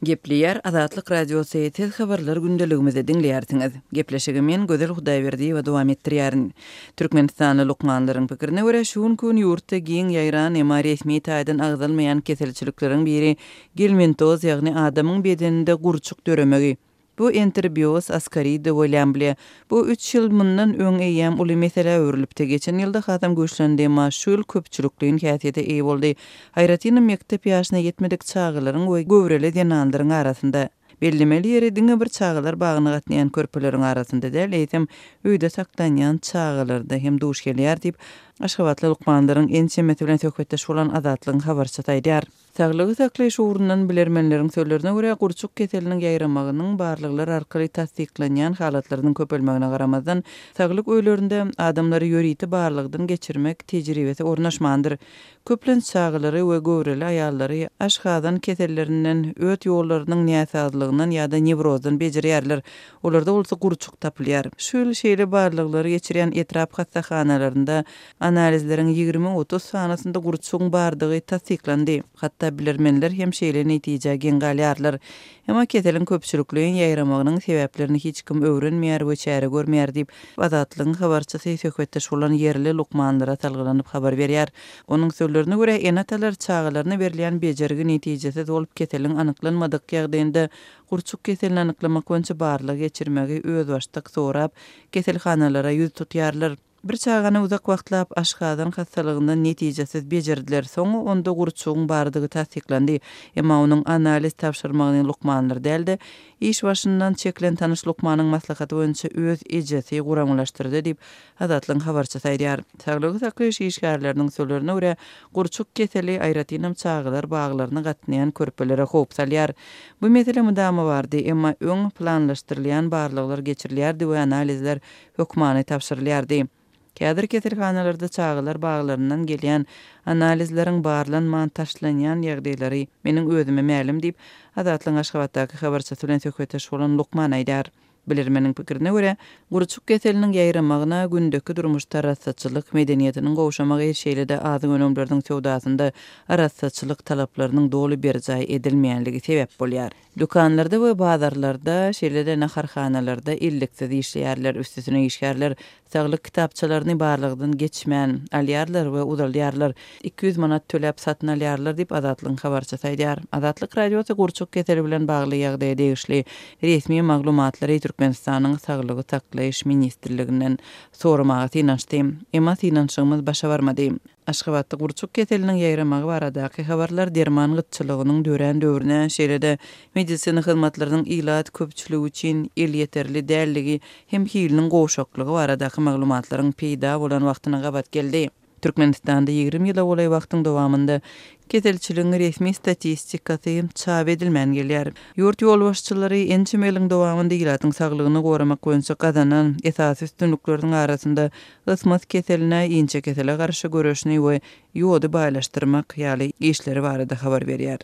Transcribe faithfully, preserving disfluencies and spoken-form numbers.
Gepleýär Azatlyk Radiosy, siz habarlar gündeligimizi diňleýärsiňiz. Gepleşigi men Gözel Hudaýberdiýewa dowam etdirýärin. Türkmenistanly lukmanlaryň pikirine görä, şu günki gün ýurtda giň ýaýran, emma resmi taýdan agzalmaýan keselçilikleriň biri gelmintoz, ýagny adamyň bedeninde gurçuk döremegi. Bu enterobioz, askarida we lýambliýa. Bu üç ýyl mundan öň eýýäm uly meselä öwrülipdi. Geçen ýylda hasam güýçlendi, emma şu ýyl köpçülikleýin häsiýete eýe boldy. Aýratynam mekdep ýaşyna ýetmedik çagalaryň we göwreli zenanlaryň arasynda. Bellemeli ýeri diňe bir çagalar bagyna gatnaýan körpeleriň arasynda däl, eýsem öýde saklanýan çagalarda hem duş gelýär diýip, aşgabatly lukmanlaryň ençemesi bilen söhbetdeş bolan Azatlygyň habarçysy aýdýar. Saglygy saklaýyş ugrundan bilermenleriň sözlerine görä, gurçuk keseliniň ýaýramagynyň barlaglar arkaly tassyklanýan halatlarynyň köpelmegine garamazdan, saglyk öýlerinde adamlary ýörite barlagdan geçirmek tejribesi ornaşmandyr. Köplenç çagalary we göwreli aýallary aşgazan kesellerinden, öt ýollarynyň näsazlygyndan ýa-da newrozdan bejerýärler. Olarda bolsa gurçuk tapylýar. Şu ýyl şeýle barlaglary geçirýän etrap hassahanalarynda analizleriň ýigrimi-otuz sanasynda gurçugyň bardygy tassyklandy. Hatda bilermenler hem şeýle netijä geň galýarlar. Emma keseliň köpçülikleýin ýaýramagynyň sebäplerini hiç kim öwrenmeýär we çäre görmeýär diýip, Azatlygyň habarçysy söhbetdeş bolan ýerli lukmanlara salgylanyp habar berýär. Onuň sözlerine görä, ene-atalar çagalaryna berilýän bejergi netijesiz bolup, keseliň anyklanmadyk ýagdaýynda gurçuk keselini anyklamak boýunça barlag geçirmegi özbaşdak sorap, keselhanalara ýüz tutýarlar. Bir çagany uzak wagtlap aşgazan hassalygyndan netijesiz bejerdiler. Soňra onda gurçugyň bardygy tassyklandy. Emma onuň analiz tabşyrmagyny lukmanlar däl-de, iş başyndan çekilen tanyş lukmanyň maslahaty boýunça öz ejesi guramalaşdyrdy diýip, Azatlygyň habarçysy aýdýar. Saglygy saklaýyş işgärleriniň sözlerine görä, gurçuk keseli aýratynam çagalar baglaryna gatnaýan körpelere howp salýar. Bu mesele mydama bardy, emma öň planlaşdyrylýan barlaglar geçirilýärdi we analizler hökmany tabşyrylýardy. Häzir keselhanalarda çagalar baglaryndan gelýän analizleriň barlanman taşlanýan ýagdaýlary meniň özüme mälim diýip, Azatlygyň Aşgabatdaky habarçysy bilen söhbetdeş bolan lukman aýdýar. Bilermeniň pikirine görä, gurçuk keseliniň ýaýramagyna gündeki durmuşda arassaçylyk medeniýetiniň gowşamagy, şeýle-de azyk önümleriniň söwdasynda arassaçylyk talaplarynyň doly berjaý edilmeýänligi sebäp bolýar. Dükanlarda we bazarlarda, şeýle-de naharhanalarda elliksiz işleýärler, üstesine işgärler saglyk kitapçalaryny barlagdan geçmän alýarlar we uzalýarlar. Iki ýüz manat töläp satyn alýarlar diýip, Azatlygyň habarçysy aýdýar. Azatlyk Radiosy gurçuk keseli bilen bagly ýagdaýa degişli resmi maglumatlary Türkmenistanyň Saglygy saklaýyş ministrliginden soramaga synanyşdy. Emma synanyşygymyz başa barmady. Aşgabatda gurçuk keseliniň ýaýramagy baradaky habarlar derman gytçylygynyň dörän döwrüne, şeýle-de medisina hyzmatlarynyň ilat köpçüligi üçin elýeterli dälligi hem hiliniň gowşaklygy baradaky maglumatlaryň peýda bolan wagtyna gabat geldi. Türkmenistanda ýigrimi ýyla golaý wagtyň dowamynda keselçiligiň resmi statistikasy çap edilmän gelýär. Ýurt ýolbaşçylary ençeme ýylyň dowamynda ilatyň saglygyny goramak boýunça gazanan esasy üstünlikleriniň arasynda ysmaz keseline, inçekesele garşy göreşini we ýody baýlaşdyrmak ýaly işleri barada habar berýär.